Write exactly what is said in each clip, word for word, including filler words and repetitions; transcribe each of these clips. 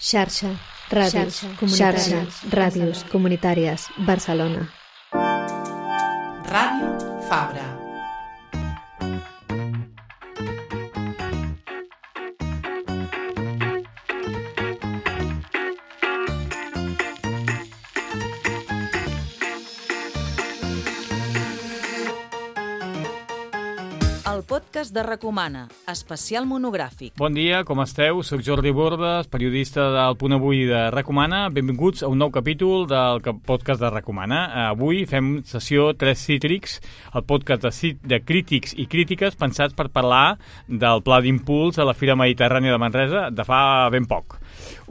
Xarxa, ràdios, comunitàries, ràdios comunitàries, Barcelona. Ràdio Fabra. El podcast de Recomana, especial monogràfic. Bon dia, com esteu? Soc Jordi Bordes, periodista del Punt Avui de Recomana. Benvinguts a un nou capítol del podcast de Recomana. Avui fem sessió tres Cítrics, el podcast de, de crítics i crítiques pensats per parlar del pla d'impuls a la Fira Mediterrània de Manresa de fa ben poc.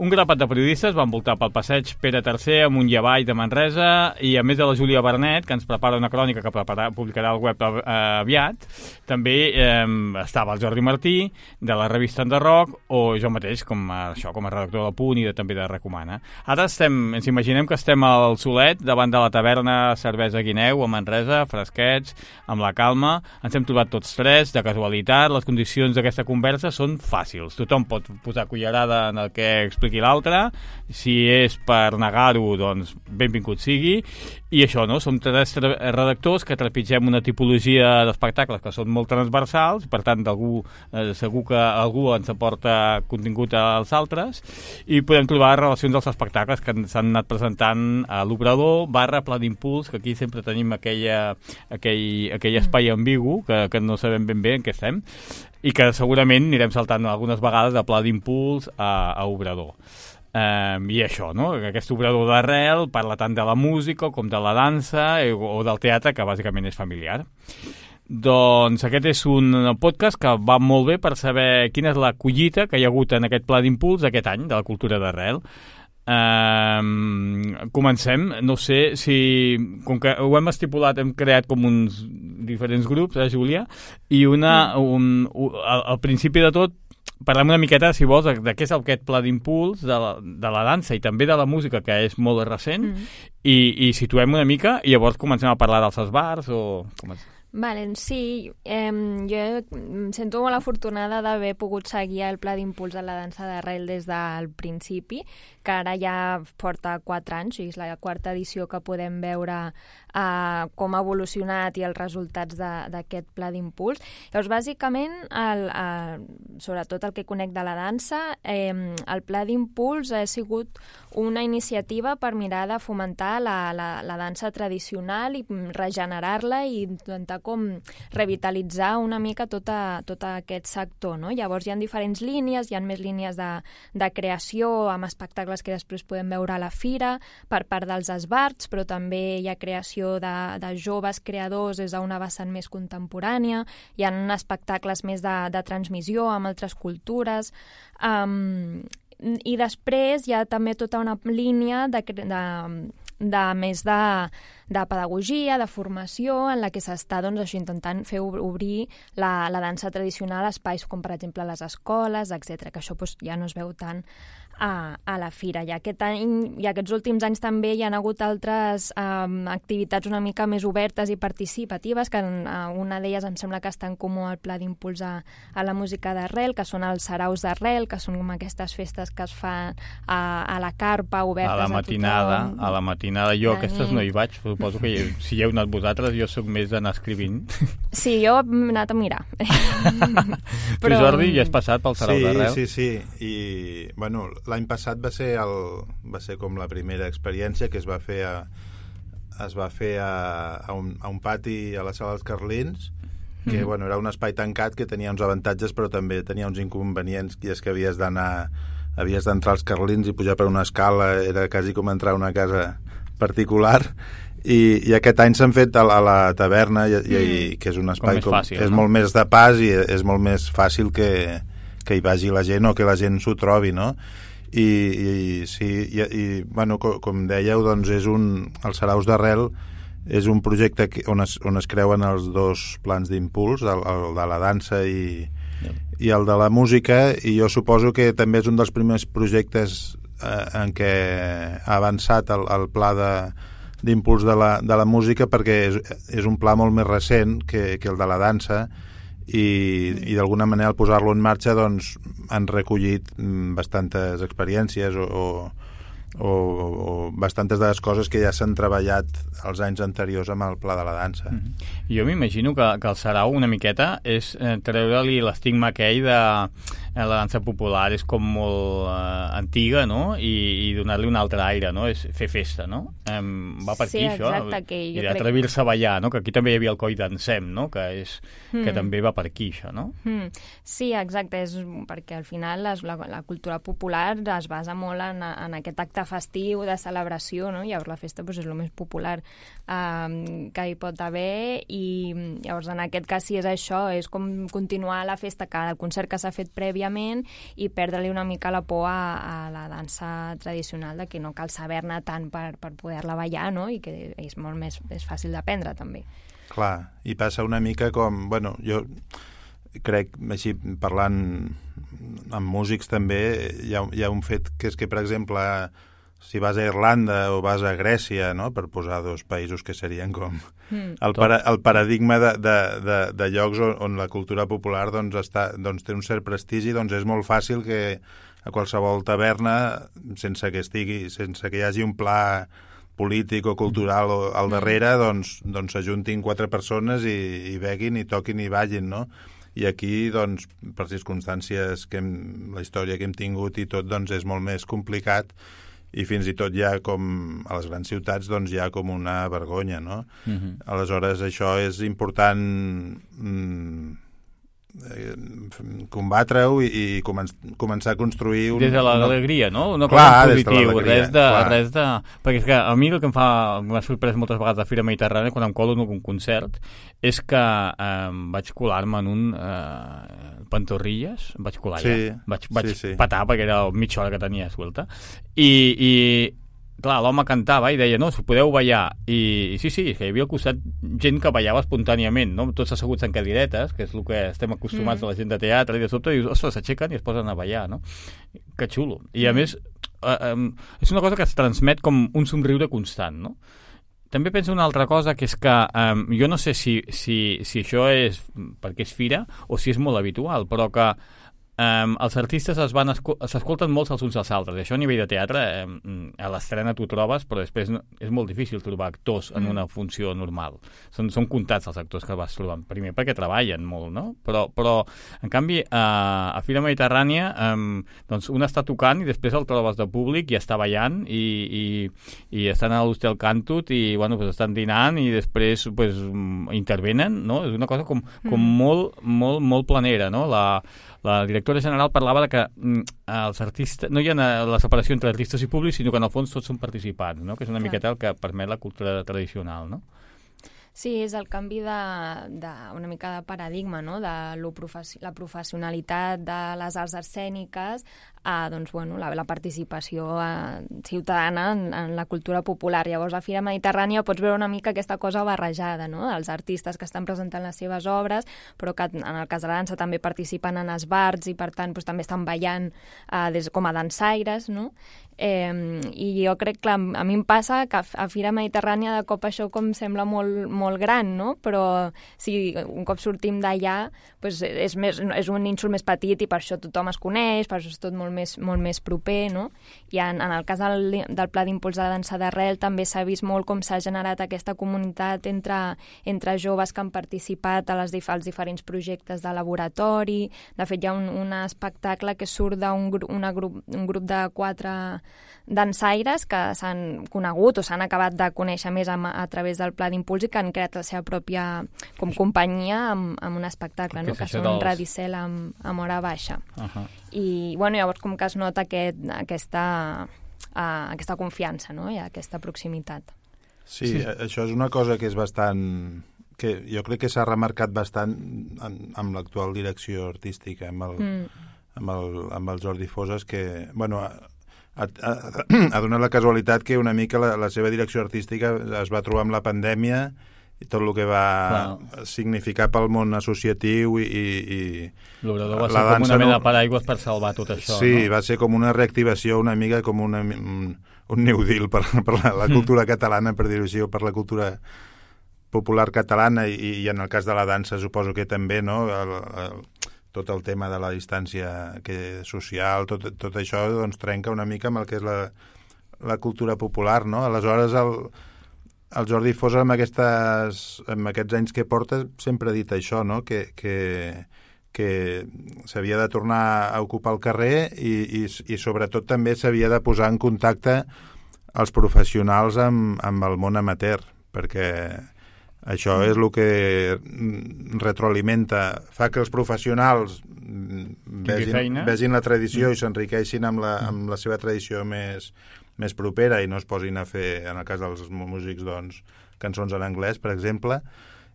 Un grapat de periodistes van voltar pel passeig Pere tercer amunt i avall de Manresa i a més de la Júlia Bernet, que ens prepara una crònica que prepara, publicarà al web eh, aviat, també eh, estava el Jordi Martí, de la revista Enderroc, o jo mateix, com a, això, com a redactor del Punt i de, també de Recomana. Ara estem, ens imaginem que estem al Solet, davant de la taverna Cervesa Guineu, a Manresa, fresquets, amb la calma. Ens hem trobat tots tres, de casualitat. Les condicions d'aquesta conversa són fàcils. Tothom pot posar cullerada en el que expliqui l'altre. Si és per negar-ho, doncs benvingut sigui. I això, no? Som tres redactors que trepitgem una tipologia d'espectacles que són molt transversals, per tant, d'algú, eh, segur que algú ens aporta contingut als altres, i podem trobar relacions dels espectacles que s'han anat presentant a l'Obrador, barra Pla d'Impuls, que aquí sempre tenim aquella, aquell, aquell espai ambigu, que, que no sabem ben bé en què estem, i que segurament anirem saltant algunes vegades de Pla d'Impuls a, a Obrador. Um, I això, no? Aquest obrador d'arrel parla tant de la música com de la dansa eh, o del teatre, que bàsicament és familiar. Doncs aquest és un podcast que va molt bé per saber quina és la collita que hi ha hagut en aquest pla d'impuls aquest any de la cultura d'arrel. Um, comencem, no sé si, com que ho hem estipulat, hem creat com uns diferents grups, eh, Júlia, i una, un, un, al, al principi de tot parlem una miqueta, si vols, de, de què és aquest pla d'impuls de, la, de la dansa i també de la música, que és molt recent, mm. i, i situem una mica i llavors comencem a parlar dels esbars o... Comencem. Vale, sí, eh, jo em sento molt afortunada d'haver pogut seguir el pla d'impuls de la dansa d'arrel des del principi, que ara ja porta quatre anys, i és la quarta edició que podem veure eh, com ha evolucionat i els resultats d'aquest pla d'impuls. Llavors, bàsicament, el, el, sobretot el que conec de la dansa, eh, el pla d'impuls ha sigut una iniciativa per mirar de fomentar la, la, la dansa tradicional i regenerar-la i intentar com revitalitzar una mica tota, tot aquest sector, no? Llavors hi ha diferents línies, hi ha més línies de, de creació amb espectacles que després podem veure a la fira per part dels esbarts, però també hi ha creació de, de joves creadors des d'una vessant més contemporània, hi ha espectacles més de, de transmissió amb altres cultures, um, i després hi ha també tota una línia de, de, de més de, de pedagogia, de formació, en la que s'està doncs, això, intentant fer obrir la, la dansa tradicional a espais com, per exemple, les escoles, etcètera, que això doncs, ja no es veu tant a, a la fira. I aquest any, i aquests últims anys també hi ha hagut altres um, activitats una mica més obertes i participatives, que uh, una d'elles em sembla que està en comú al pla d'impuls a, a la música d'arrel, que són els saraus d'arrel, que són com aquestes festes que es fan a, a la carpa, obertes a, a la matinada, a tothom. A la matinada. Jo aquestes no hi vaig, suposo que si hi heu anat vosaltres, jo sóc més d'anar escrivint. Sí, jo he anat a mirar. Però... Tu, Jordi, ja has passat pel sarau sí, d'arrel? Sí, sí, sí. I, bueno, l'any passat va ser, el, va ser com la primera experiència que es va fer a, es va fer a, a, un, a un pati a la sala dels Carlins, que mm. bueno, era un espai tancat que tenia uns avantatges però també tenia uns inconvenients, i és que havies d'anar havies d'entrar als Carlins i pujar per una escala, era quasi com entrar a una casa particular, i, i aquest any s'han fet a la, a la taverna, i, i, mm. que és un espai com, fàcil, és no? molt més de pas i és molt més fàcil que, que hi vagi la gent o que la gent s'ho trobi, no? I, i sí, i, i bueno, com, com dèieu, doncs és un, els saraus d'arrel és un projecte que, on, es, on es creuen els dos plans d'impuls, el, el de la dansa i, yeah. i el de la música, i jo suposo que també és un dels primers projectes eh, en què ha avançat el, el pla de, d'impuls de la, de la música, perquè és, és un pla molt més recent que, que el de la dansa, i, i d'alguna manera al posar-lo en marxa doncs, han recollit bastantes experiències o, o O, o bastantes de les coses que ja s'han treballat els anys anteriors amb el Pla de la Dansa. Mm-hmm. Jo m'imagino que, que el sarau una miqueta és eh, treure-li l'estigma aquell de eh, la dansa popular és com molt eh, antiga, no? I, i donar-li un altre aire, no? És fer festa, no? Eh, va per sí, aquí, això. Exacte, que jo I d'atrevir-se crec... a ballar, no? Que aquí també hi havia el Coi Dansem, no? Que, és, mm. que també va per aquí, això, no? Mm. Sí, exacte, és perquè al final les, la, la cultura popular es basa molt en, en aquest acte festiu, de celebració, no? Llavors la festa doncs, és el més popular um, que hi pot haver i llavors en aquest cas sí és això, és com continuar la festa, que el concert que s'ha fet prèviament i perdre-li una mica la por a, a la dansa tradicional de que no cal saber-ne tant per, per poder-la ballar, no? I que és molt més és fàcil d'aprendre també. Clar, i passa una mica com, bueno, jo crec, així parlant amb músics també, hi ha, hi ha un fet que és que, per exemple, si vas a Irlanda o vas a Grècia, no?, per posar dos països que serien com mm. el, para, el paradigma de, de, de, de llocs on, on la cultura popular doncs, està, doncs, té un cert prestigi, doncs és molt fàcil que a qualsevol taverna, sense que estigui, sense que hi hagi un pla polític o cultural o al darrere, doncs, doncs s'ajuntin quatre persones i, i beguin i toquin i ballin, no? I aquí, doncs, per circumstàncies que hem, la història que hem tingut i tot, doncs és molt més complicat i fins i tot ja com a les grans ciutats doncs hi ha com una vergonya, no? Uh-huh. Aleshores això és important mm, combatre-ho i, i comen començar a construir un... Des de l'alegria, no? Una cosa positiva, res de, res de... Perquè és que a mi el que em fa m'ha sorprès moltes vegades a Fira Mediterrània quan em colo en un concert és que eh, vaig colar-me en un eh, Pantorrilles, em vaig colar sí, ja, vaig, vaig sí, sí. patar perquè era mitja hora que tenia suelta i, i clar, l'home cantava i deia, no, si podeu ballar i, i sí, sí, que hi havia al costat gent que ballava espontàniament, no? Tots asseguts en cadiretes, que és el que estem acostumats mm. a la gent de teatre, i de sobte dius, ostres, s'aixequen i es posen a ballar, no? Que xulo. I a mm. més eh, eh, és una cosa que es transmet com un somriure constant, no? També penso una altra cosa, que és que eh, jo no sé si, si, si això és perquè és fira o si és molt habitual, però que Um, els artistes es van s'escolten molts els uns als altres. Això a nivell de teatre um, a l'estrena t'ho trobes, però després no, és molt difícil trobar actors en mm. una funció normal. Són, són comptats els actors que vas trobant. Primer perquè treballen molt, no? Però, però en canvi a, a Fira Mediterrània um, doncs un està tocant i després el trobes de públic i està ballant i, i, i estan a l'Hostel Cantut i bueno, pues estan dinant i després pues, intervenen, no? És una cosa com, com mm. molt, molt, molt planera, no? La La directora general parlava de que mm, els artistes, no hi ha la separació entre artistes i públics, sinó que en el fons tots són participants, no? Que és una Clar. miqueta el que permet la cultura tradicional, no? Sí, és el canvi de, de una mica de paradigma, no? De lo professi la professionalitat de les arts escèniques a doncs, bueno, la, la participació eh, ciutadana en, en la cultura popular. Llavors, a Fira Mediterrània pots veure una mica aquesta cosa barrejada, no? Els artistes que estan presentant les seves obres, però que en el cas de la dansa també participen en esbarts i, per tant, doncs, també estan ballant eh, des, com a dansaires, no? Eh, I jo crec que a mi em passa que a Fira Mediterrània de cop això com sembla molt, molt gran, no? Però si un cop sortim d'allà doncs és, més, és un nínxol més petit i per això tothom es coneix, per això és tot molt més, molt més proper, no? I en, en el cas del, del Pla d'Impuls de la Dansa d'Arrel també s'ha vist molt com s'ha generat aquesta comunitat entre, entre joves que han participat a les, als diferents projectes de laboratori. De fet, hi ha un, un espectacle que surt d'un gru, grup, un grup de quatre dansaires que s'han conegut o s'han acabat de conèixer més a, a través del Pla d'Impuls i que han creat la seva pròpia com companyia amb, amb un espectacle, no? Que són dels... Radicel amb, amb hora baixa. Uh -huh. I bueno, llavors com que es nota aquest, aquesta, uh, aquesta confiança, no? I aquesta proximitat. Sí, sí, això és una cosa que és bastant... que jo crec que s'ha remarcat bastant en, amb l'actual direcció artística, amb el, mm. amb el, amb el Jordi Fosas, que... bueno, Ha, ha, ha donat la casualitat que una mica la, la seva direcció artística es va trobar amb la pandèmia i tot el que va Clar. significar pel món associatiu i... i l'obrador va ser com una mena de paraigües per salvar tot això, sí, no? Va ser com una reactivació una mica com una, un, un New Deal per, per la, la cultura mm. catalana, per dir-ho així, o per la cultura popular catalana i, i en el cas de la dansa suposo que també, no? El, el, tot el tema de la distància que, social, tot, tot això doncs, trenca una mica amb el que és la, la cultura popular, no? Aleshores, el, el Jordi Fosa, amb, aquestes, amb aquests anys que porta, sempre ha dit això, no? Que, que, que s'havia de tornar a ocupar el carrer i, i, i sobretot també s'havia de posar en contacte els professionals amb, amb el món amateur, perquè això és el que retroalimenta, fa que els professionals vegin, vegin la tradició mm. i s'enriqueixin amb, la, amb la seva tradició més, més propera i no es posin a fer, en el cas dels músics, doncs, cançons en anglès, per exemple,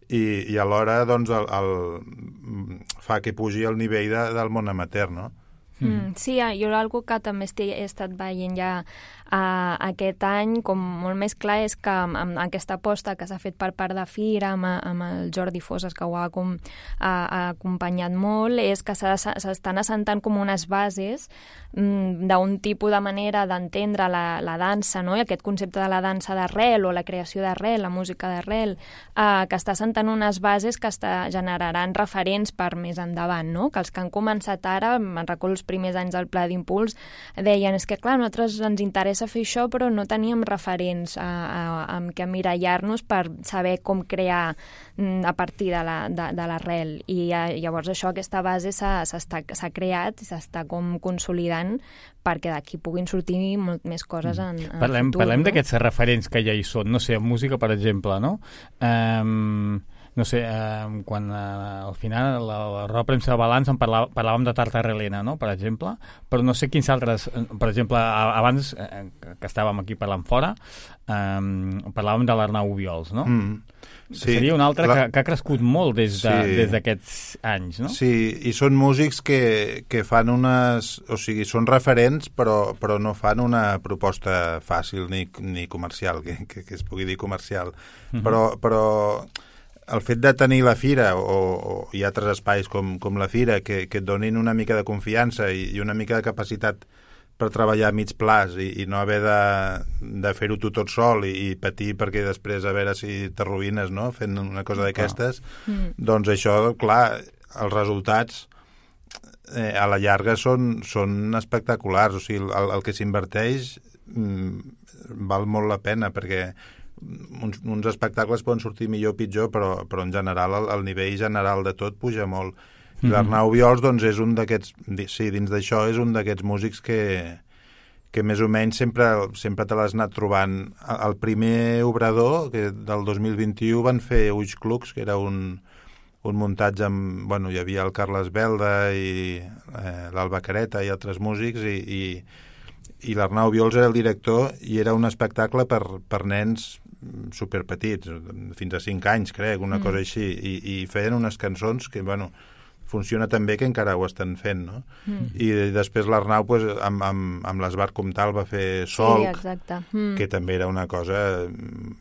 i, i alhora doncs, el, el, fa que pugi el nivell de, del món amateur, no? Mm, sí, jo algo que també he estat veient ja uh, aquest any com molt més clar és que amb, amb aquesta aposta que s'ha fet per part de Fira amb, amb el Jordi Fosas, que ho ha, com, uh, ha acompanyat molt, és que s'estan assentant com unes bases mm, d'un tipus de manera d'entendre la, la dansa, no? I aquest concepte de la dansa d'arrel o la creació d'arrel, la música d'arrel, uh, que està assentant unes bases que està, generaran referents per més endavant, no? Que els que han començat ara, me'n recordo els primers anys del Pla d'Impuls, deien, és que clar, a nosaltres ens interessa fer això, però no teníem referents a, a, amb què emmirallar-nos per saber com crear a partir de la, de, de l'arrel. I a, llavors això, aquesta base s'ha creat i s'està com consolidant perquè d'aquí puguin sortir molt més coses en, en parlem, el futur. Parlem no? d'aquests referents que ja hi són, no sé, en música, per exemple, no? Um... No sé, eh, quan eh, al final la, la roda premsa de balanç en parlà, parlàvem de Tartarelena, no?, per exemple, però no sé quins altres, per exemple, a, abans eh, que estàvem aquí parlant fora, eh, parlàvem de l'Arnau Obiols, no? Mm. Sí, seria un altre la... que, que ha crescut molt des de, sí. des d'aquests anys, no? Sí, i són músics que, que fan unes... O sigui, són referents, però, però no fan una proposta fàcil ni, ni comercial, que, que, que es pugui dir comercial. Mm-hmm. Però... però el fet de tenir la Fira o, o hi ha altres espais com, com la Fira que, que et donin una mica de confiança i, i una mica de capacitat per treballar a mig plaç i, i no haver de, de fer-ho tu tot sol i, i patir perquè després a veure si t'arruïnes, no?, fent una cosa d'aquestes, ah. mm. doncs això, clar, els resultats eh, a la llarga són, són espectaculars. O sigui, el, el que s'inverteix mm, val molt la pena perquè Uns, uns espectacles poden sortir millor o pitjor, però, però en general el, el nivell general de tot puja molt. I mm-hmm. l'Arnau Obiols doncs, és un d'aquests, sí, dins d'això és un d'aquests músics que, que més o menys sempre, sempre te l'has anat trobant. El primer obrador, que del dos mil vint-i-u, van fer Ulls Clucs, que era un, un muntatge amb... Bueno, hi havia el Carles Belda i eh, l'Alba Careta i altres músics, i, i, i l'Arnau Obiols era el director, i era un espectacle per, per nens superpetits, fins a cinc anys, crec, una mm. cosa així, i, i feien unes cançons que, bueno, funciona tan bé que encara ho estan fent, no? Mm. I després l'Arnau, pues, amb, amb, amb l'Esbar Comtal va fer Solc, sí, exacte. Mm. que també era una cosa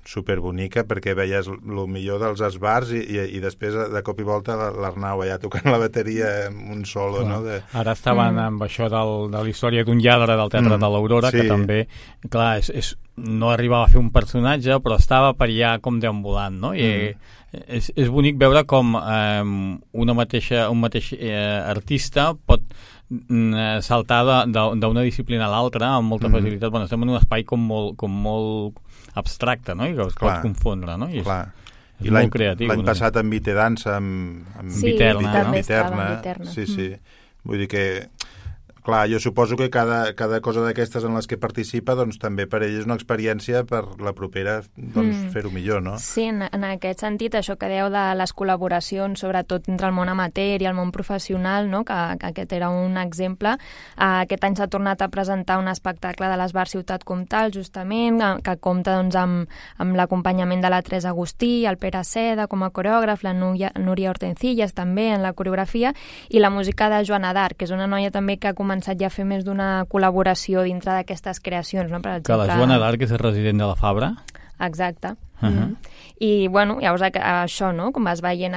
superbonica, perquè veies el millor dels esbars i, i, i després, de cop i volta, l'Arnau allà tocant la bateria amb un solo, clar, no? De... Ara estaven mm. amb això del, de la història d'un lladre del Teatre mm. de l'Aurora, sí. que també, clar, és, és, no arribava a fer un personatge, però estava per allà com deambulant, no? I mm. És, és bonic veure com eh, una mateixa, un mateix eh, artista pot eh, saltar d'una disciplina a l'altra amb molta mm-hmm. facilitat. Bueno, estem en un espai com molt, com molt abstracte, no? I que es clar, pot confondre, no? I és, és I molt creatiu. L'any no? passat amb Vitedansa, amb, amb sí, Viterna, també no? estava en Viterna. Sí, sí. Mm. Vull dir que clar, jo suposo que cada, cada cosa d'aquestes en les que participa, doncs també per ell és una experiència per la propera doncs, mm. fer-ho millor, no? Sí, en, en aquest sentit, això que deu de les col·laboracions, sobretot entre el món amateur i el món professional, no? que, que aquest era un exemple. Uh, aquest any s'ha tornat a presentar un espectacle de l'Esbar Ciutat Comtal, justament, que compta doncs, amb, amb l'acompanyament de la Teresa Agustí, el Pere Seda com a coreògraf, la Núria, Núria Hortencillas també en la coreografia, i la música de Joana d'Arc, que és una noia també que ha començat ja a fer més d'una col·laboració dintre d'aquestes creacions, no? Per exemple, que la Joana d'Arc és el resident de la Fabra? Exacte. Uh-huh. Mm. I, bueno, llavors això, no?, com vas veient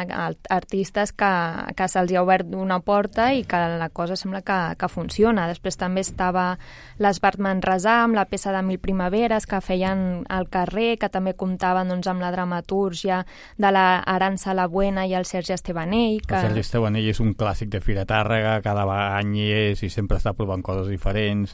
artistes que, que se'ls ha obert una porta i que la cosa sembla que, que funciona. Després també estava l'Esbart Manresà amb la peça de Mil Primaveres que feien al carrer, que també comptaven doncs, amb la dramatúrgia de la Arança La Buena i el Sergi Estebanell. Que... El Sergi Estebanell és un clàssic de Fira Tàrrega, cada any hi és i sempre està provant coses diferents.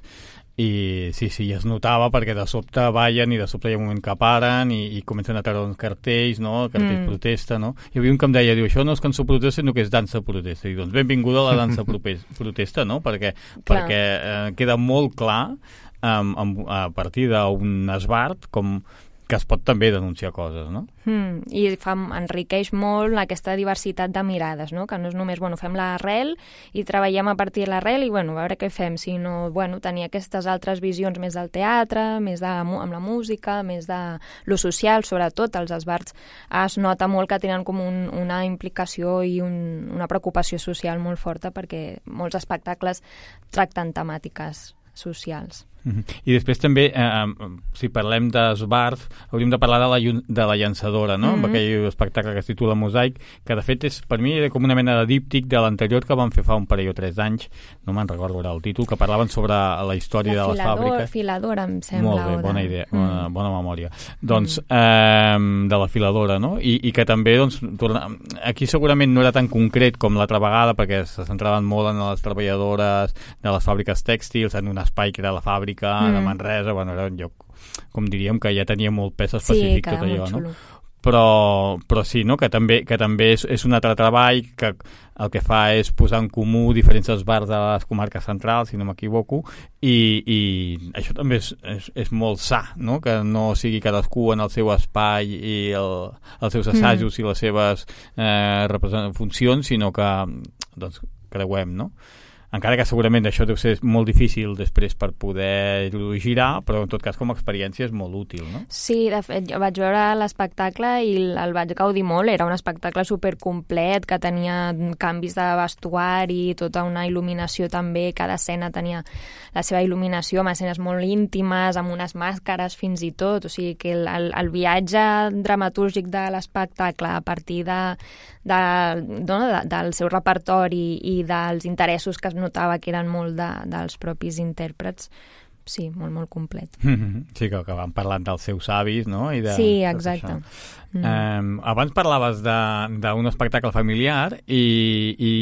I sí, sí, es notava perquè de sobte ballen i de sobte hi ha un moment que paren i, i comencen a treure uns cartells, no? Cartells mm. protesta, no? Hi havia un que em deia, diu, això no és cançó protesta, sinó que és dansa protesta. I doncs benvinguda a la dansa protesta, no? Perquè, perquè eh, queda molt clar um, um, a partir d'un esbart com que es pot també denunciar coses, no? Mm, I fa, enriqueix molt aquesta diversitat de mirades, no? Que no és només, bueno, fem l'arrel i treballem a partir de l'arrel i, bueno, a veure què fem, sinó, bueno, tenir aquestes altres visions més del teatre, més de, amb la música, més de lo social, sobretot, els esbarts es nota molt que tenen com un, una implicació i un, una preocupació social molt forta perquè molts espectacles tracten temàtiques socials. I després també, eh, si parlem d'esbarts, hauríem de parlar de la, de la llançadora, no? Mm-hmm. Amb aquell espectacle que es titula Mosaic, que de fet és, per mi era com una mena de díptic de l'anterior que van fer fa un parell o tres d'anys, no me'n recordo ara el títol, que parlaven sobre la història la de les filador, fàbriques. Filadora, em sembla. Molt bé, bona idea, mm. bona, bona memòria. Doncs, mm. eh, de la filadora, no? I, i que també, doncs, torna... aquí segurament no era tan concret com l'altra vegada, perquè se centraven molt en les treballadores de les fàbriques tèxtils, en un espai que era la fàbrica, mm. de Manresa, bueno, era un lloc, com diríem, que ja tenia molt pes específic, sí, tot allò, no? Però, però sí, no? que també, que també és, és un altre treball que el que fa és posar en comú diferents esbarts de les comarques centrals, si no m'equivoco, i, i això també és, és, és molt sa, no? Que no sigui cadascú en el seu espai i el, els seus assajos mm. i les seves eh, funcions, sinó que doncs, creuem, no? Encara que segurament això deu ser molt difícil després per poder girar, però en tot cas com a experiència és molt útil, no? Sí, de fet, jo vaig veure l'espectacle i el vaig gaudir molt. Era un espectacle supercomplet, que tenia canvis de vestuari, tota una il·luminació també, cada escena tenia la seva il·luminació, amb escenes molt íntimes, amb unes màscares fins i tot, o sigui que el, el, el viatge dramatúrgic de l'espectacle a partir de, de, no, de, del seu repertori i dels interessos que es notava que eren molt de, dels propis intèrprets, sí, molt, molt complet. Sí, que, que van parlant dels seus avis, no? I de, sí, exacte. Mm. Um, abans parlaves d'un espectacle familiar i, i,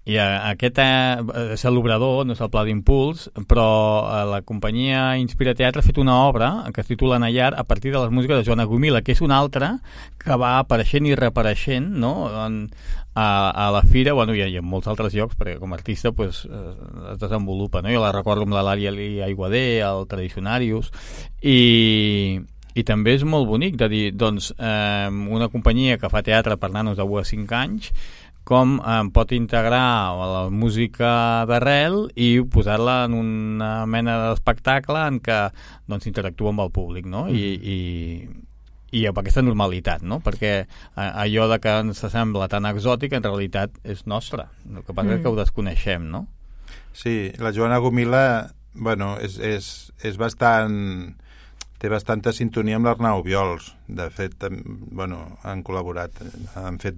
i aquest eh, és l'obrador, no és el pla d'impuls, però eh, la companyia Inspira Teatre ha fet una obra que es titula Nayar a partir de les músiques de Joana Gomila, que és una altra que va apareixent i reapareixent, no? En, a, a la fira, bueno, i, i en molts altres llocs, perquè com a artista pues, eh, es desenvolupa, no? Jo la recordo amb la Lària Aiguader, el Tradicionarius, i... I també és molt bonic de dir, doncs, eh, una companyia que fa teatre per nanos de u a cinc anys, com eh, pot integrar la música d'arrel i posar-la en una mena d'espectacle en què doncs, interactua amb el públic, no? I, i, i amb aquesta normalitat, no? Perquè eh, allò de que ens sembla tan exòtic en realitat és nostre. El que passa mm. és que ho desconeixem, no? Sí, la Joana Gomila, bueno, és, és, és bastant... té bastanta sintonia amb l'Arnau Viols. De fet, bueno, han col·laborat, han fet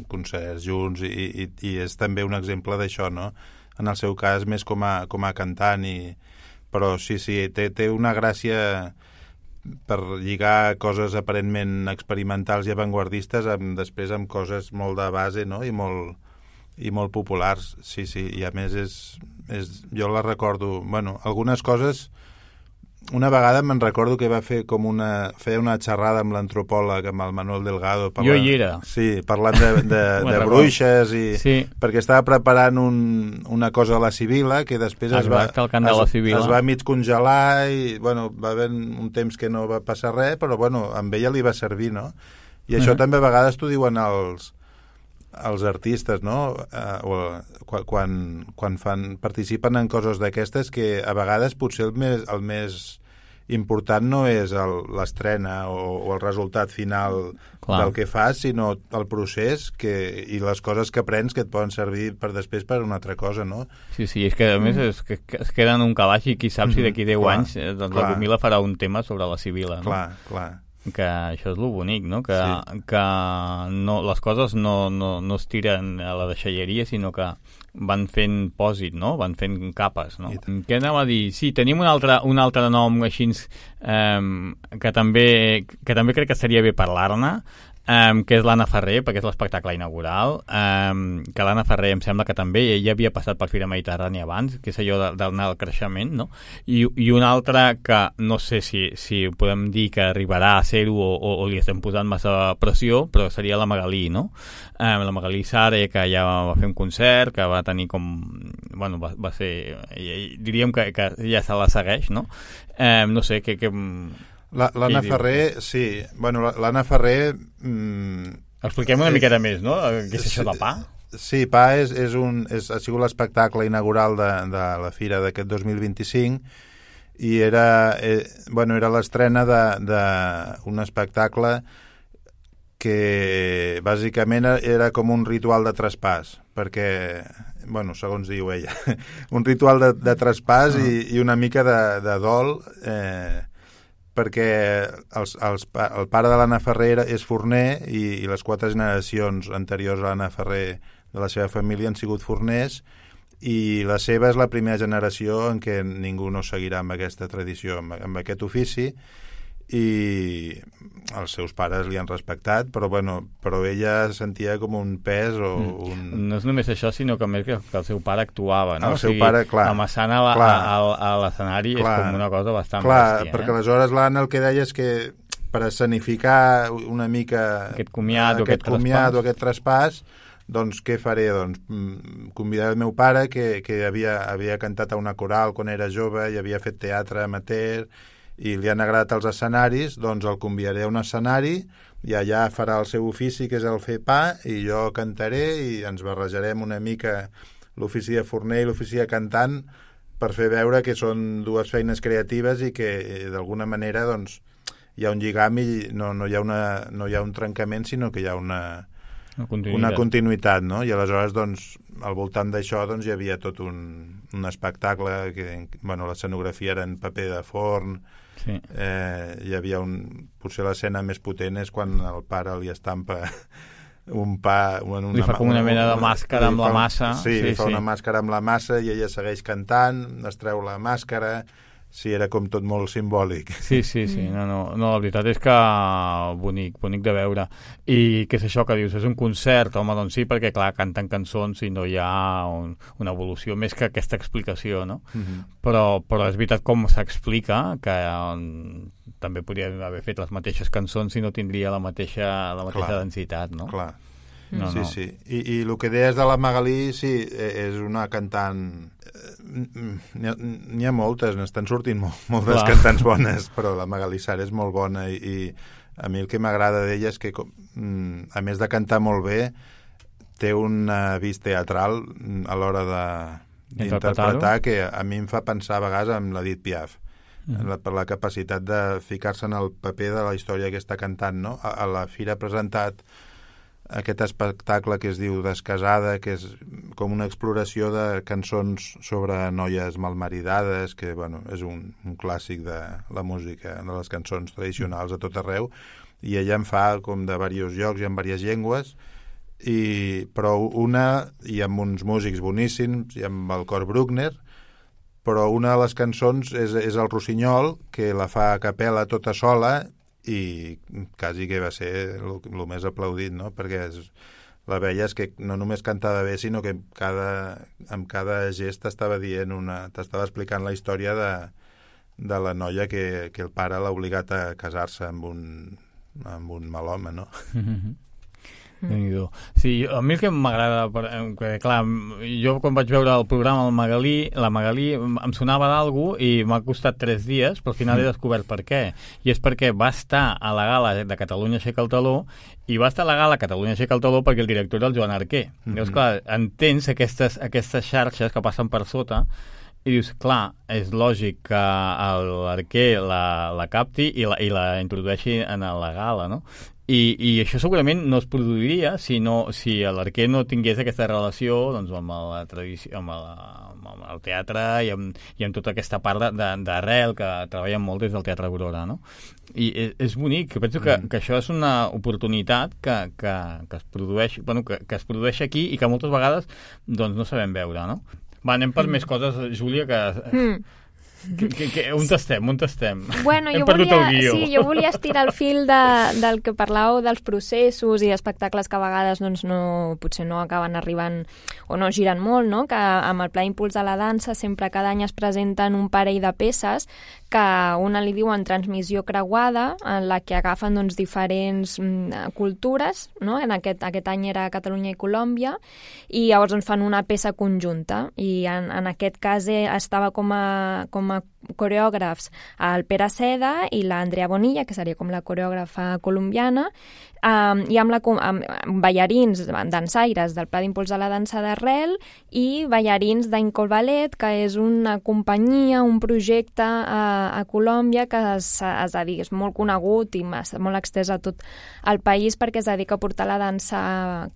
concerts junts i, i, i és també un exemple d'això, no? En el seu cas, més com a, com a cantant, i... però sí, sí, té, té una gràcia per lligar coses aparentment experimentals i avantguardistes amb, després amb coses molt de base, no? I molt, i molt populars, sí, sí, i a més és, és jo la recordo, bueno, algunes coses. Una vegada me'n recordo que va fer com una... feia una xerrada amb l'antropòleg, amb el Manuel Delgado. Parlant, jo hi era. Sí, parlant de, de, de bruixes i... Sí. Perquè estava preparant un, una cosa a la Sibila que després es va, es, es va mig congelar i, bueno, va haver un temps que no va passar res, però, bueno, amb ella li va servir, no? I això uh-huh. també a vegades t'ho diuen els... els artistes, no? Uh, o, quan, quan fan, participen en coses d'aquestes que a vegades potser el més, el més important no és el- l'estrena o, o el resultat final Clar. del que fas, sinó el procés que, i les coses que aprens que et poden servir per després per una altra cosa, no? Sí, sí, és que a més es, que, que es queda en un calaix i qui sap si d'aquí deu Clar, anys eh, doncs clar. la Gomila farà un tema sobre la Sibila, no? Clar, clar. Que això és lo bonic, no? Que, Sí. que no, les coses no, no, no es tiren a la deixalleria, sinó que van fent pòsit, no? Van fent capes, no? I tant. Què anava a dir? Sí, tenim un altre, un altre nom així eh, que, també, que també crec que seria bé parlar-ne, Um, que és l'Anna Ferrer, perquè és l'espectacle inaugural, um, que l'Anna Ferrer em sembla que també ella havia passat per Fira Mediterrània abans, que és allò de- d'anar al creixement, no? I, i un altre que no sé si, si podem dir que arribarà a ser-ho o, o, o li estem posant massa pressió, però seria la Magalí, no? Um, la Magalí Sare, que ja va fer un concert, que va tenir com... Bueno, va, va ser... Diríem que, que ja se la segueix, no? Um, no sé, que... que La- L'Anna Qui diu? Ferrer, sí. Bueno, la- l'Anna Ferrer... Mm, expliquem una Eh, miqueta més, no? Què és això de pa? Sí, Pa és, és un, és, ha sigut l'espectacle inaugural de, de la fira d'aquest dos mil vint-i-cinc i era, eh, bueno, era l'estrena d'un espectacle que bàsicament era com un ritual de traspàs, perquè, bueno, segons diu ella, un ritual de, de traspàs i, i una mica de, de dol, eh, perquè els, els, pa- el pare de l'Anna Ferrer és forner i, i les quatre generacions anteriors a l'Anna Ferrer de la seva família han sigut forners i la seva és la primera generació en què ningú no seguirà amb aquesta tradició, amb, amb aquest ofici, i els seus pares li han respectat, però, bueno, però ella sentia com un pes o un... No és només això, sinó que a més que, que el seu pare actuava, no? El seu pare, clar. Amassant a la- Clar. a, a, a l'escenari és Clar. com una cosa bastant Clar, bèstia. perquè eh? aleshores l'Anna el que deia és que per escenificar una mica Aquest comiat o aquest, aquest comiat traspàs. o aquest traspàs, doncs què faré? Doncs mm, convidar el meu pare, que, que havia, havia cantat a una coral quan era jove i havia fet teatre amateur, i li han agradat els escenaris, doncs el convidaré a un escenari i allà farà el seu ofici, que és el fer pa, i jo cantaré i ens barrejarem una mica l'ofici de forner i l'ofici de cantant per fer veure que són dues feines creatives i que eh, d'alguna manera doncs, hi ha un lligam i no, no, hi ha una, no hi ha un trencament, sinó que hi ha una, Una continuïtat. una continuïtat, no? I aleshores, doncs, al voltant d'això doncs, hi havia tot un, un espectacle que, bueno, l'escenografia era en paper de forn, Sí. eh, hi havia un... Potser l'escena més potent és quan el pare li estampa un pa... Una, Li fa com una mena de màscara li amb la fa un- massa. Sí, Sí, li fa sí. una màscara amb la massa i ella segueix cantant, es treu la màscara... Sí, era com tot molt simbòlic. Sí, sí, sí. No, no, no, la veritat és que bonic, bonic de veure. I què és això que dius? És un concert? Home, doncs sí, perquè clar, canten cançons i no hi ha un, una evolució més que aquesta explicació, no? Mhm. Però, però és veritat com s'explica que um, també podria haver fet les mateixes cançons i no tindria la mateixa, la mateixa Clar. densitat, no? Clar. No, sí, no. sí. I, I el que deies de la Magalí, sí, eh, és una cantant... eh, N'hi ha, n'hi ha moltes, n'estan sortint molt, moltes Clar. cantants bones, però la Magalí Sara és molt bona i, i a mi el que m'agrada d'ella és que, com, mm, a més de cantar molt bé, té una vis teatral mm, a l'hora de d'interpretar Interpretar-ho. que a mi em fa pensar a vegades en l'Edith Piaf, Mm. la, per la capacitat de ficar-se en el paper de la història que està cantant, no? A, a la fira ha presentat aquest espectacle que es diu Descasada, que és com una exploració de cançons sobre noies malmaridades, que bueno, és un, un clàssic de la música, de les cançons tradicionals a tot arreu, i ella en fa com de diversos llocs i en diverses llengües, i, però una, i amb uns músics boníssims, i amb el cor Bruckner, però una de les cançons és, és el Rossinyol, que la fa a capella tota sola, i quasi que va ser el més aplaudit, no? Perquè és, la veies que no només cantava bé, sinó que cada, amb cada gest t'estava dient una, t'estava explicant la història de, de la noia que, que el pare l'ha obligat a casar-se amb un, amb un mal home, no? Mm-hmm. Déu-n'hi-do. Sí, a mi el que m'agrada, per- eh, que, clar, jo quan vaig veure el programa el Magalí, la Magalí em sonava d'algú i m'ha costat tres dies, però al final he descobert per què. I és perquè va estar a la gala de Catalunya Aixeca el Taló i va estar a la gala Catalunya Aixeca el Taló perquè el director era el Joan Arquer. Mhm. Llavors, clar, entens aquestes, aquestes xarxes que passen per sota i dius, clar, és lògic que l'arquer la, la capti i la, i la introdueixi en la gala, no? I, i això segurament no es produiria si, no, si l'arquer no tingués aquesta relació doncs, amb, la tradició, amb, la, amb el teatre i amb, i amb tota aquesta part d'arrel que treballen molt des del Teatre Aurora, no? I és, és bonic, penso que, que això és una oportunitat que, que, que, es produeix, bueno, que, que es produeix aquí i que moltes vegades doncs, no sabem veure, no? Va, anem per mm. més coses, Júlia, que... Mm. Que, que, que, on estem, on estem? Bueno, jo volia, sí, jo volia estirar el fil de, del que parlàveu dels processos i espectacles que a vegades doncs, no, potser no acaben arribant o no giren molt, no? Que amb el Pla d'Impuls de la Dansa sempre cada any es presenten un parell de peces que una li diuen transmissió creuada, en la que agafen doncs, diferents mm, cultures, no? En aquest, aquest any era Catalunya i Colòmbia, i llavors doncs, fan una peça conjunta, i en, en aquest cas eh, estava com a, com a coreògrafs el Pere Seda i l'Andrea Bonilla, que seria com la coreògrafa colombiana, um, i amb, la, amb, amb ballarins, dansaires del Pla d'Impuls de la Dansa d'Arrel i ballarins d'Incol Ballet, que és una companyia, un projecte a, a Colòmbia que es, es dedica, és molt conegut i molt extès a tot el país perquè es dedica a portar la dansa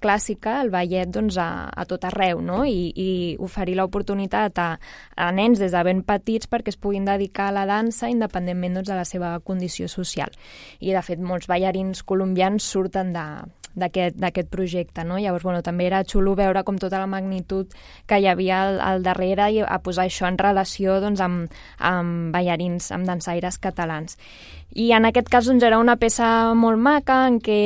clàssica, el ballet, doncs, a, a tot arreu, no? I, i oferir l'oportunitat a, a nens des de ben petits perquè es puguin dedicar a la dansa independentment doncs, de la seva condició social. I, de fet, molts ballarins colombians surten de d'aquest projecte, no? Llavors, bueno, també era xulo veure com tota la magnitud que hi havia al, al darrere i a posar això en relació doncs, amb, amb ballarins, amb dansaires catalans. I en aquest cas doncs, era una peça molt maca en què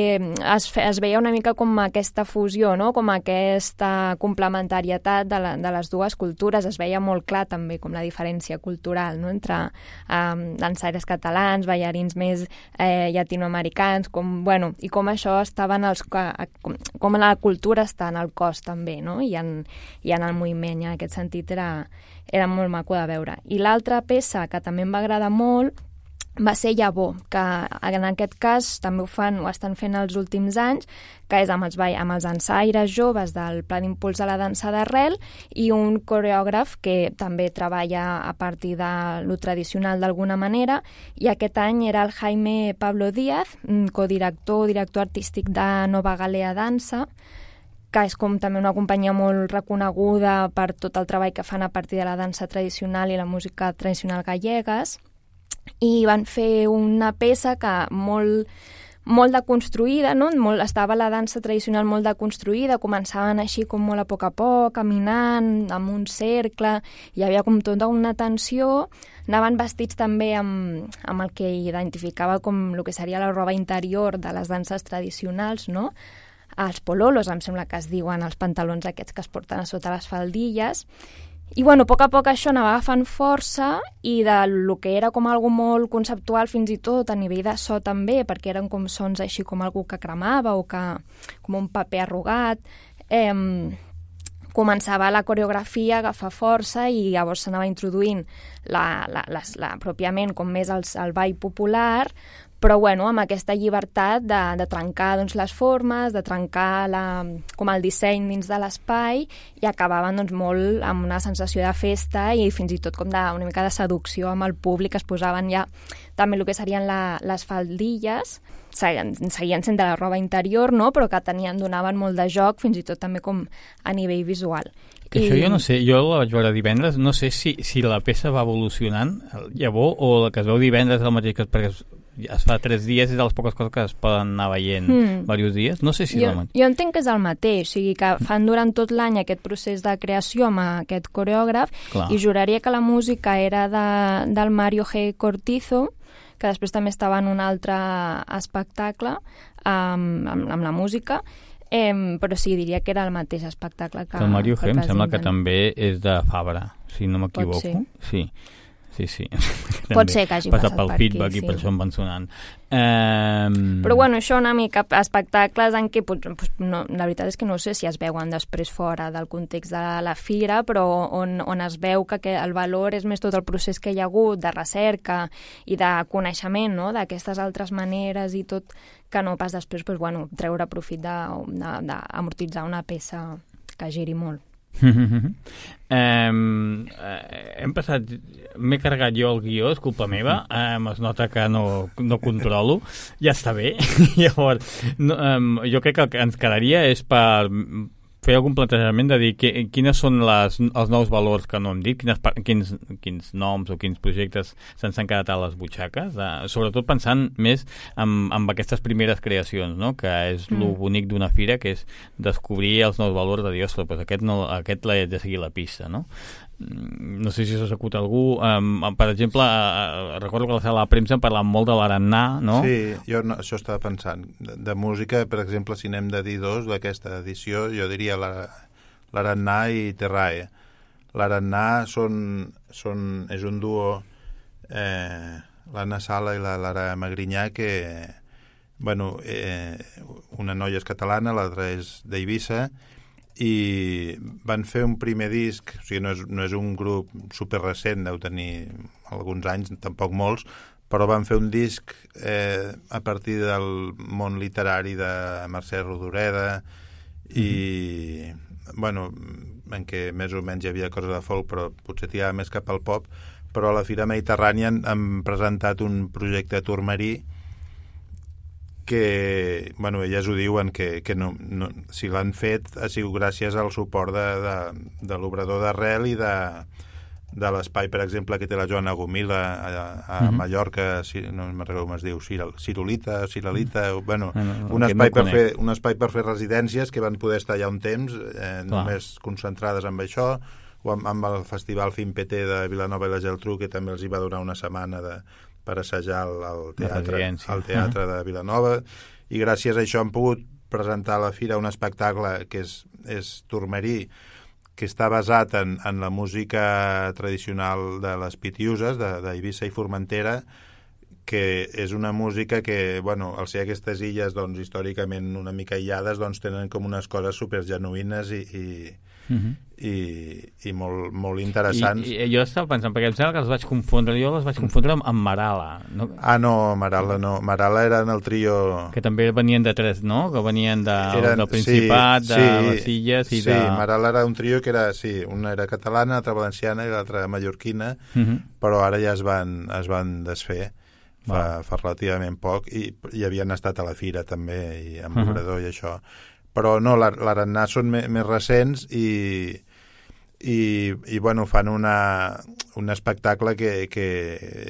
es, es veia una mica com aquesta fusió, no? Com aquesta complementarietat de, la, de les dues cultures. Es veia molt clar també com la diferència cultural, no? Entre um, dansaires catalans, ballarins més eh, llatinoamericans, com, bueno, i com això estava en els, com, com la cultura està en el cos també, no? I en, i en el moviment, i en aquest sentit era, era molt maco de veure. I l'altra peça que també em va agradar molt va ser Llavor, que en aquest cas també ho fan, ho estan fent els últims anys, que és amb els, amb els dansaires joves del Pla d'Impuls de la Dansa d'Arrel i un coreògraf que també treballa a partir de lo tradicional d'alguna manera, i aquest any era el Jaime Pablo Díaz, codirector, director artístic de Nova Galea Dansa, que és com també una companyia molt reconeguda per tot el treball que fan a partir de la dansa tradicional i la música tradicional gallegues, i van fer una peça que molt, molt deconstruïda, no? Molt, estava la dansa tradicional molt deconstruïda, començaven així com molt a poc a poc, caminant, amb un cercle, hi havia com tota una tensió, anaven vestits també amb, amb el que identificava com el que seria la roba interior de les danses tradicionals, no? Els pololos, em sembla que es diuen els pantalons aquests que es porten a sota les faldilles. I, bueno, a poc a poc això anava agafant força i de lo que era com algo molt conceptual fins i tot a nivell de so també, perquè eren com sons així com algú que cremava o que, com un paper arrugat, eh, començava la coreografia a agafar força i llavors s'anava introduint la, la, la, la, pròpiament com més el, el ball popular, però bueno, amb aquesta llibertat de, de trencar doncs, les formes, de trencar la, com el disseny dins de l'espai, i acabaven doncs, molt amb una sensació de festa i fins i tot com de, una mica de seducció amb el públic. Es posaven ja també el que serien la, les faldilles, seguien, seguien sent de la roba interior, no? Però que tenien, donaven molt de joc, fins i tot també com a nivell visual. Que I... això jo no sé, jo la vaig veure divendres, no sé si, si la peça va evolucionant, llavors, o la que es veu divendres és el mateix que perquè es, es fa tres dies i de les poques coses que es poden anar veient mm. diversos dies, no sé si jo, és el mateix. Jo entenc que és el mateix, o sigui que fan durant tot l'any aquest procés de creació amb aquest coreògraf. Clar. I juraria que la música era de, del Mario G. Cortizo, que després també estava en un altre espectacle um, amb, amb la música, eh, però sí, diria que era el mateix espectacle que... El Mario G. em sembla que també és de Fabra, si no m'equivoco. Pot ser. Sí. Sí, sí. Pot ser que hagi passat, passat pel per feedback aquí, i sí. per això em van sonant. Um... Però bueno, això una mica espectacles en què, pues, no, la veritat és que no sé si es veuen després fora del context de la fira, però on, on es veu que, que el valor és més tot el procés que hi ha hagut de recerca i de coneixement, no? D'aquestes altres maneres i tot, que no pas després pues, bueno, treure profit d'amortitzar de, de, una peça que giri molt. um, hem passat... M'he carregat jo el guió, és culpa meva, um, es nota que no, no controlo, ja està bé. Llavors, no, um, jo crec que el que ens quedaria és per fer algun plantejament de dir que, quines són les, els nous valors que no hem dit, quines, quins, quins noms o quins projectes se'ns han quedat a les butxaques, uh, sobretot pensant més en, en aquestes primeres creacions, no? Que és mm. lo bonic d'una fira, que és descobrir els nous valors de dir, ostres, pues aquest, no, aquest l'he de seguir la pista, no? No sé si s'ha sacut algú. Um, per exemple, uh, recordo que a la sala de premsa en parlàvem molt de l'Arannà, no? Sí, jo no, això estava pensant. De, de música, per exemple, si n'hem de dir dos d'aquesta edició, jo diria l'Arannà i Terrae. L'Arannà són, són, és un duo, eh, l'Anna Sala i la Lara Magrinyà, que, bueno, eh, una noia és catalana, l'altra és d'Eivissa, i van fer un primer disc, o sigui, no és, no és un grup super recent, deu tenir alguns anys, tampoc molts, però van fer un disc eh, a partir del món literari de Mercè Rodoreda i, mm-hmm. bueno, en què més o menys hi havia coses de folk, però potser tirava més cap al pop, però a la Fira Mediterrània han, han presentat un projecte Tourmarí que, bueno, elles ho diuen, que, que no, no, si l'han fet ha sigut gràcies al suport de, de, de l'Obrador d'Arrel i de, de l'espai, per exemple, que té la Joana Gomila a, a mm-hmm. Mallorca, si, no me'n recordo com es diu, Cirolita, Ciralita, mm. bueno, no, no, un, espai no per fer, un espai per fer residències que van poder estar allà un temps, eh, només concentrades amb això, o amb, amb el Festival Finpeté de Vilanova i la Geltrú, que també els hi va donar una setmana de per assajar al teatre, al teatre uh-huh. de Vilanova, i gràcies a això han pogut presentar a la fira un espectacle que és, és Tourmarí, que està basat en, en la música tradicional de les Pitiuses, d'Eivissa i Formentera, que és una música que, bueno, al ser aquestes illes, doncs, històricament una mica aïllades, doncs, tenen com unes coses supergenuïnes i, i, uh-huh. i, i molt, molt interessants. I, I jo estava pensant, perquè em sembla que els vaig confondre, jo les vaig confondre amb, amb Marala. No? Ah, no, Marala no. Marala eren el trio... Que també venien de tres, no? Que venien de, eren, del Principat, sí, de sí, les Illes i sí, de... Sí, Marala era un trio que era, sí, una era catalana, l'altra valenciana i l'altra mallorquina, uh-huh. però ara ja es van, es van desfer. Fa, fa relativament poc, i, i havien estat a la fira també, i amb l'Obrador uh-huh. i això. Però no, l'Arannà són me, més recents i, i, i bueno, fan una, un espectacle que, que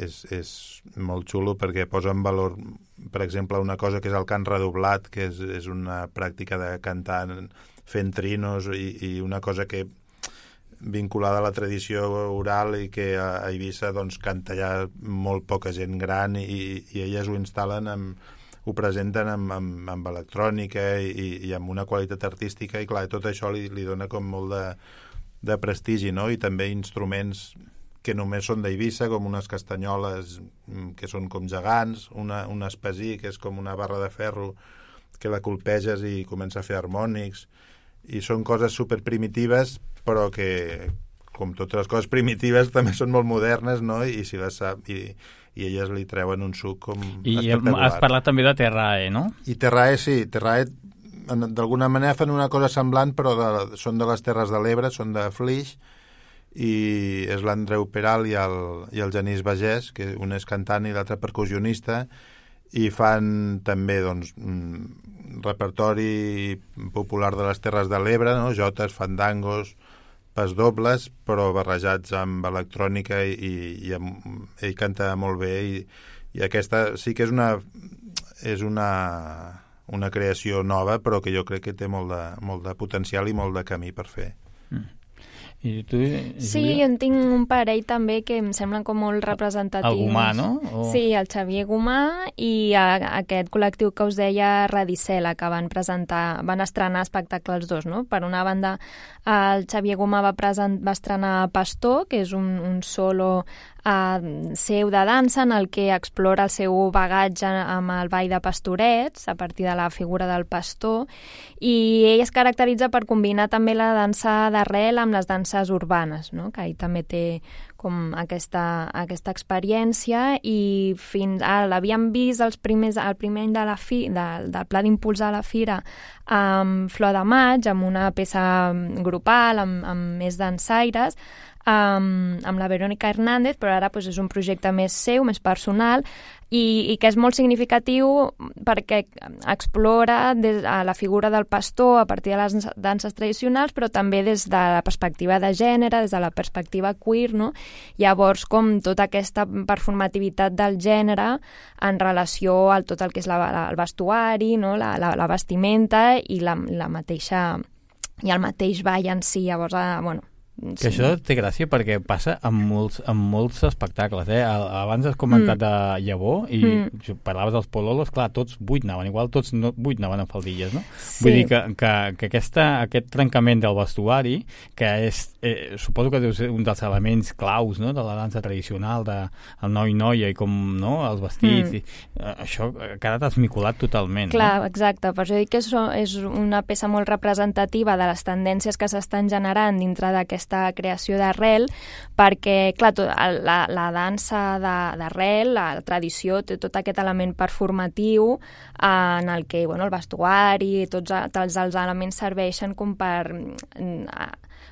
és, és molt xulo perquè posa en valor, per exemple, una cosa que és el cant redoblat, que és, és una pràctica de cantar fent trinos i, i una cosa que vinculada a la tradició oral i que a Eivissa doncs, canta ja molt poca gent gran i, i elles ho instal·len, amb, ho presenten amb, amb, amb electrònica i, i amb una qualitat artística i clar, tot això li, li dona com molt de, de prestigi, no? I també instruments que només són d'Eivissa, com unes castanyoles que són com gegants, una, un espasí que és com una barra de ferro que la colpeges i comença a fer harmònics, i són coses superprimitives però que, com totes les coses primitives, també són molt modernes, no? I si les sap, i, i elles li treuen un suc com I espectacular. I has parlat també de Terrae, no? I Terrae, sí. Terrae, d'alguna manera, fan una cosa semblant, però de, són de les Terres de l'Ebre, són de Flix, i és l'Andreu Peral i el, i el Genís Bagès, que un és cantant i l'altre percussionista, i fan també, doncs, repertori popular de les Terres de l'Ebre, no? Jotes, fandangos, pas dobles, però barrejats amb electrònica i, i, i amb, ell canta molt bé i, i aquesta sí que és una és una, una creació nova, però que jo crec que té molt de, molt de potencial i molt de camí per fer. Mm. I tu, Júlia? Sí, jo en tinc un parell també que em semblen com molt representatius. El Gomà, no? O... Sí, el Xavier Gomà i a, aquest col·lectiu que us deia Radicela, que van presentar, van estrenar espectacles dos, no? Per una banda, el Xavier Gomà va, present, va estrenar Pastor, que és un, un solo uh, seu de dansa en el que explora el seu bagatge amb el ball de pastorets a partir de la figura del pastor, i ell es caracteritza per combinar també la dansa d'arrel amb les danses urbanes, no? Que ell també té com aquesta, aquesta experiència, i fins ara l'havíem vist els primers, el primer any de la fi, de, del Pla d'Impuls a la Fira amb Flor de Maig, amb una peça grupal, amb, amb més dansaires, amb, amb la Verónica Hernández, però ara doncs, és un projecte més seu, més personal, i, i que és molt significatiu perquè explora des, a la figura del pastor a partir de les danses tradicionals, però també des de la perspectiva de gènere, des de la perspectiva queer, no? Llavors, com tota aquesta performativitat del gènere en relació a tot el que és la, la, el vestuari, no? la, la, la vestimenta i la, la mateixa i el mateix ball en si. Llavors, eh, bueno, que això té gràcia perquè passa amb molts, amb molts espectacles, eh? Abans has comentat mm. de Llavor i mm. parlaves dels pololos, clar, tots vuit anaven, igual tots no, vuit anaven amb faldilles, no? Sí. Vull dir que, que, que aquesta, aquest trencament del vestuari, que és, eh, suposo que deu ser un dels elements claus, no?, de la dansa tradicional, de el noi-noia i com, no?, els vestits, mm. i, eh, això ha quedat esmicolat totalment. Clar, no? Exacte, per això dic que és, és una peça molt representativa de les tendències que s'estan generant dintre d'aquesta creació d'arrel, perquè, clar, tot, la, la dansa d'arrel, la tradició, té tot aquest element performatiu en el que, bueno, el vestuari, tots, tots els elements serveixen com per,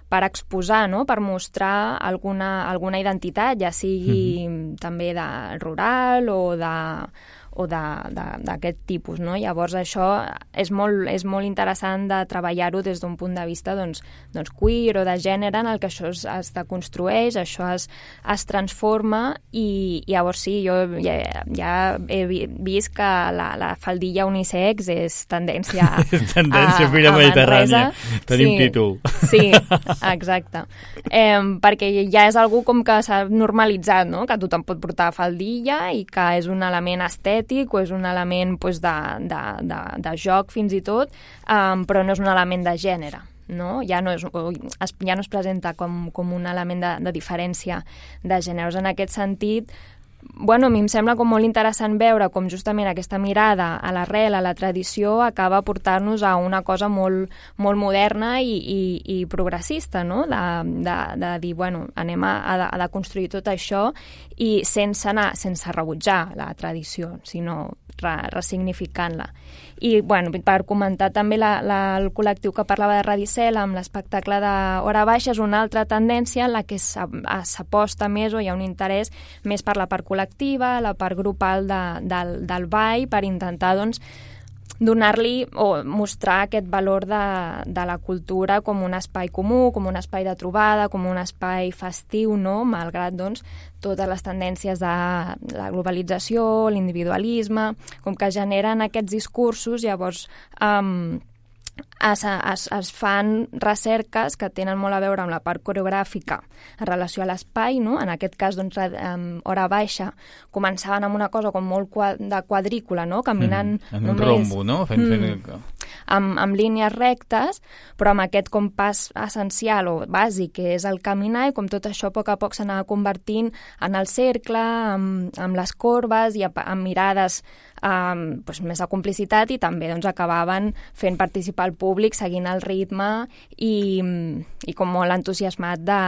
per exposar, no?, per mostrar alguna, alguna identitat, ja sigui mm-hmm. també de rural o de o d'aquest tipus, no? Llavors això és molt, és molt interessant de treballar-ho des d'un punt de vista doncs, doncs queer o de gènere, en el que això es, es deconstrueix, això es, es transforma, i, i llavors sí, jo ja, ja he vist que la, la faldilla unisex és tendència a, tendència a, a mediterrània. Tenim sí, títol. Sí, exacte. Eh, perquè ja és algú com que s'ha normalitzat, no?, que tothom pot portar faldilla i que és un element estètic o és un element pues, de, de, de, de joc fins i tot, um, però no és un element de gènere. No? Ja, no és, ja no es presenta com, com un element de, de diferència de gèneres. En aquest sentit, bueno, a mi em sembla com molt interessant veure com justament aquesta mirada a l'arrel, a la tradició, acaba portant-nos a una cosa molt, molt moderna i, i, i progressista, no? De, de, de dir, bueno, anem a, a, a construir tot això, i sense anar, sense rebutjar la tradició, sinó re, resignificant-la. I, bueno, per comentar també la, la, el col·lectiu que parlava de Radicel amb l'espectacle de Hora Baixa, és una altra tendència en la que s'aposta més, o hi ha un interès més per la part col·lectiva, la part grupal de, del, del ball, per intentar, doncs, donar-li o mostrar aquest valor de, de la cultura com un espai comú, com un espai de trobada, com un espai festiu, no?, malgrat, doncs, totes les tendències de la globalització, l'individualisme, com que generen aquests discursos, llavors um, es, es, es fan recerques que tenen molt a veure amb la part coreogràfica en relació a l'espai, no? En aquest cas, doncs, um, Hora Baixa, començaven amb una cosa com molt quad de quadrícula, no?, caminant mm, en només... un rombo, no? Fent, mm, fent... Amb, amb línies rectes, però amb aquest compàs essencial o bàsic, que és el caminar, i com tot això a poc a poc s'anava convertint en el cercle, amb, amb les corbes i amb mirades um, doncs, més de complicitat, i també doncs, acabaven fent participar el públic, seguint el ritme i, i com molt entusiasmat de,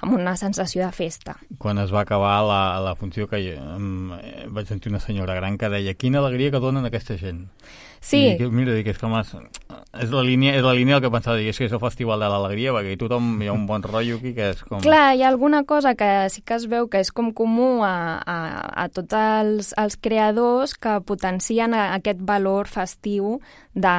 amb una sensació de festa. Quan es va acabar la, la funció, que um, vaig sentir una senyora gran que deia: quina alegria que donen aquesta gent. Sí. I dic, mira, dic, és com és, és, la línia, és la línia del que pensava, dic, és que és el Festival de l'Alegria, perquè tothom hi ha un bon rotllo aquí que és com... Clar, hi ha alguna cosa que sí que es veu que és com comú a, a, a tots els, els creadors, que potencien aquest valor festiu de,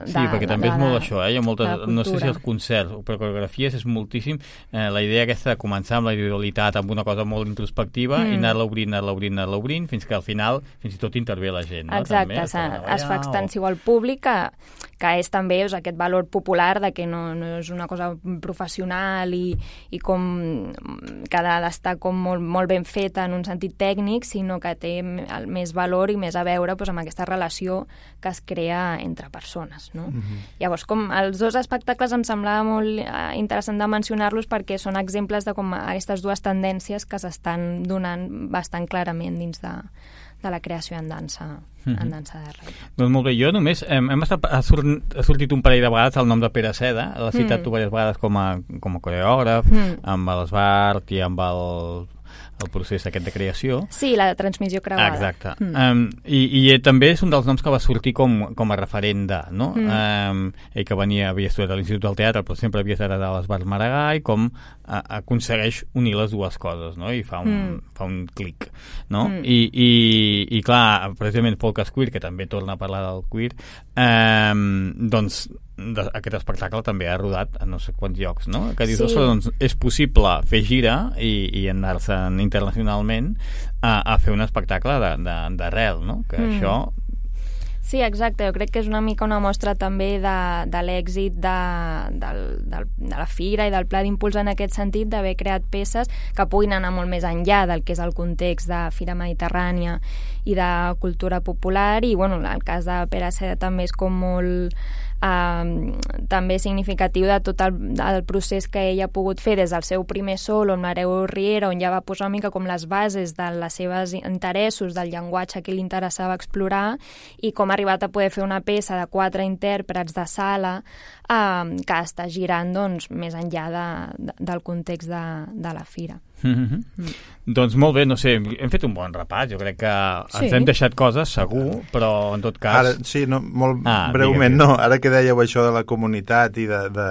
de Sí, perquè de, també de, és molt de, això, eh? Hi ha moltes, no sé si els concerts o per coreografies és moltíssim eh, la idea aquesta de començar amb la individualitat, amb una cosa molt introspectiva, mm. i anar-la obrint, anar-la obrint, anar-la obrint, fins que al final fins i tot intervé la gent, no? Exacte, també, es, es fa extensiu al públic, que que és també doncs, aquest valor popular de que no, no és una cosa professional i, i com que ha d'estar com molt, molt ben feta en un sentit tècnic, sinó que té el més valor i més a veure doncs, amb aquesta relació que es crea entre persones. No? Mm-hmm. Llavors, com els dos espectacles em semblava molt eh, interessant de mencionar-los perquè són exemples de com aquestes dues tendències que s'estan donant bastant clarament dins de, de la creació en dansa, mm-hmm. en dansa de rei. Doncs molt bé, jo només hem, hem estat, ha, sort, ha sortit un parell de vegades el nom de Pere Seda, l'ha citat mm. tu diverses vegades com a, com a coreògraf, mm. amb l'Esbart i amb el el procés aquest de creació. Sí, la transmissió creuada. Exacte. Mm. Um, i, I també és un dels noms que va sortir com, com a referent de, no? Mm. Um, ell que venia, havia estudiat a l'Institut del Teatre, però sempre havia estat a l'Esbart Maragall, com a, aconsegueix unir les dues coses, no? I fa un, mm. fa un clic, no? Mm. I, i, I clar, precisament Polkas Queer, que també torna a parlar del queer, um, doncs de, aquest espectacle també ha rodat a no sé quants llocs, no? Que dius, sí. doncs, és possible fer gira i, i anar-se'n internacionalment a, a fer un espectacle d'arrel, no? Que mm. això... Sí, exacte. Jo crec que és una mica una mostra també de, de l'èxit de, de, de, de la Fira i del Pla d'Impuls en aquest sentit, d'haver creat peces que puguin anar molt més enllà del que és el context de Fira Mediterrània i de cultura popular. I, bueno, el cas de Pere Seda també és com molt... Uh, també significatiu de tot el, el procés que ella ha pogut fer des del seu primer solo amb l'Hereu Riera, on ja va posar una mica com les bases de les seves interessos, del llenguatge que li interessava explorar, i com ha arribat a poder fer una peça de quatre intèrprets de sala uh, que està girant doncs, més enllà de, de, del context de, de la Fira. Mm-hmm. Mm. Doncs molt bé, no sé, hem fet un bon repàs, jo crec que sí. ens hem deixat coses, segur, però en tot cas... Ara, sí, no, molt ah, breument, no, ara que dèieu això de la comunitat i de... de...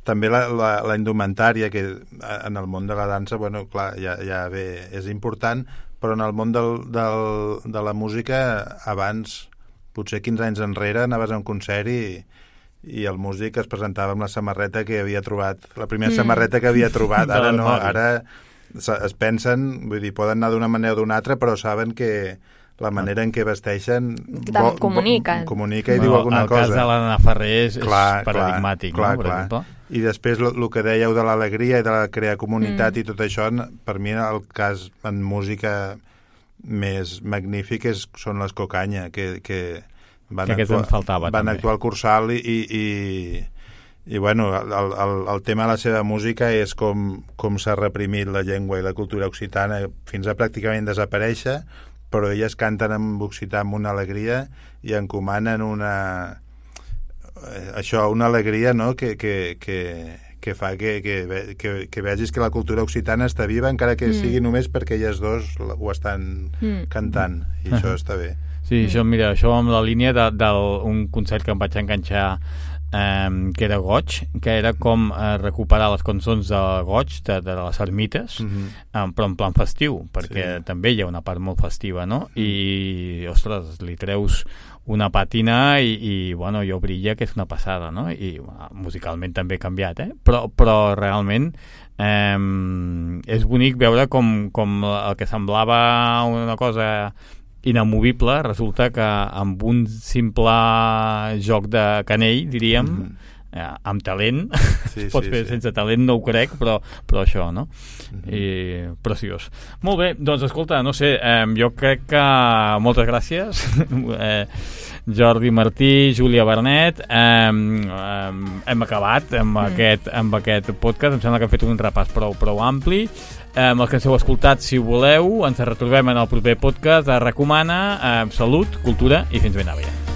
també la, la, la indumentària, que en el món de la dansa, bueno, clar, ja, ja bé, és important, però en el món del, del, de la música, abans, potser quinze anys enrere, anaves a un concert i, i el músic es presentava amb la samarreta que havia trobat, la primera mm. samarreta que havia trobat, ara no, ara es pensen, vull dir, poden anar d'una manera o d'una altra, però saben que la manera en què vesteixen bo, comunica. Bo, comunica i bueno, diu alguna el cosa. El cas de l'Anna Ferrer és, clar, és paradigmàtic, clar, no? Clar, clar. I després el que dèieu de l'alegria i de la crear comunitat mm. i tot això, per mi el cas en música més magnífic és, són les Cocanya, que, que van, que actuar, faltava, van també. actuar al Cursal i... i, i I, bueno, el, el, el tema de la seva música és com, com s'ha reprimit la llengua i la cultura occitana fins a pràcticament desaparèixer, però elles canten en occità amb una alegria i encomanen una... això, una alegria, no?, que, que, que, que fa que, que, que, que vegis que la cultura occitana està viva, encara que mm. sigui només perquè elles dos ho estan mm. cantant, i això està bé. Sí, això, mira, això amb la línia d'un concert que em vaig enganxar Um, que era Goig, que era com uh, recuperar les cançons de Goig, de, de les ermites, mm-hmm. um, però en plan festiu, perquè sí. també hi ha una part molt festiva, no? I, ostres, li treus una pàtina i, i bueno, jo brilla, que és una passada, no? I uh, musicalment també ha canviat, eh? Però, però realment um, és bonic veure com, com el que semblava una cosa inamovible, resulta que amb un simple joc de canell, diríem, mm-hmm. eh, amb talent, sí, es pot sí, fer sí. sense talent, no ho crec, però, però això, no? Mm-hmm. I preciós. Molt bé, doncs escolta, no sé, eh, jo crec que moltes gràcies, eh, Jordi Martí, Júlia Bernet, eh, eh, hem acabat amb, mm. aquest, amb aquest podcast, em sembla que hem fet un repàs prou, prou ampli. Eh, els que ens heu escoltat, si voleu, ens retrobem en el proper podcast de Recomana. Eh, salut, cultura i fins ben aviat.